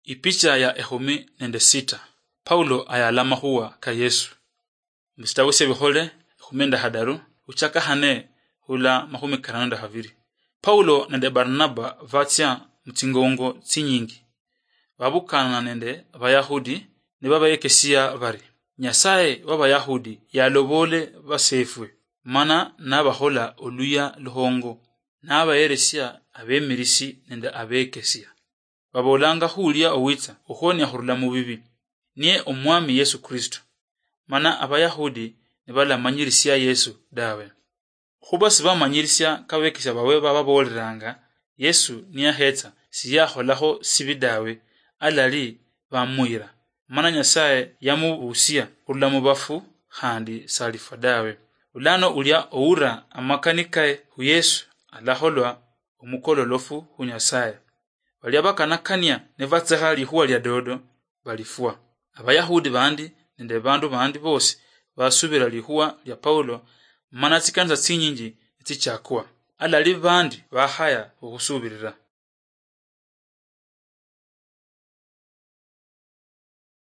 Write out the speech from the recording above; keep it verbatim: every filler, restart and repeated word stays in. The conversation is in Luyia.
Ipicha ya ekhumi nende sita. Paulo ayala amakhuwa ka Yesu. Musitabu syebikhole ekhumi nende khadaru, khuchaka khane khula makhumi karano nende khabiri. Paulo nende Barnaba batsia mutsingongo tsinyingi. Babukana nende Abayahudi nibabayekesia bari, "Nyasaye w'Abayahudi yaloboole baseefwe, mana nabakhola oluya lukhongo, nabayeresia abemirisi nende abekesia. Baboolanga khulia owitsa okhuonia khurula mubibi, niye Omwami Yesu Kristo." Mana Abayahudi nibalamanyirisia Yesu dawe. Khuba sibamanyirisia kabekesia bawe bababoolelanga, Yesu niyakhetsa siyakholakho sibi dawe, alali bamuyira. Mana Nyasaye yamubusia khurula mubafu, khandi salifwa dawe. Bulano ulia oura amakani kae khu Yesu alakholwa omukololofu khu Nyasaye. Balia bakanakania nibatsekha likhuwa lia dodo, balifwa. Abayahudi bandi nende bandu bandi bosi basubira likhuwa lia Paulo, mana tsikanisa tsinyinji nitsichakwa. Alali bandi bakhaya okhusubirira.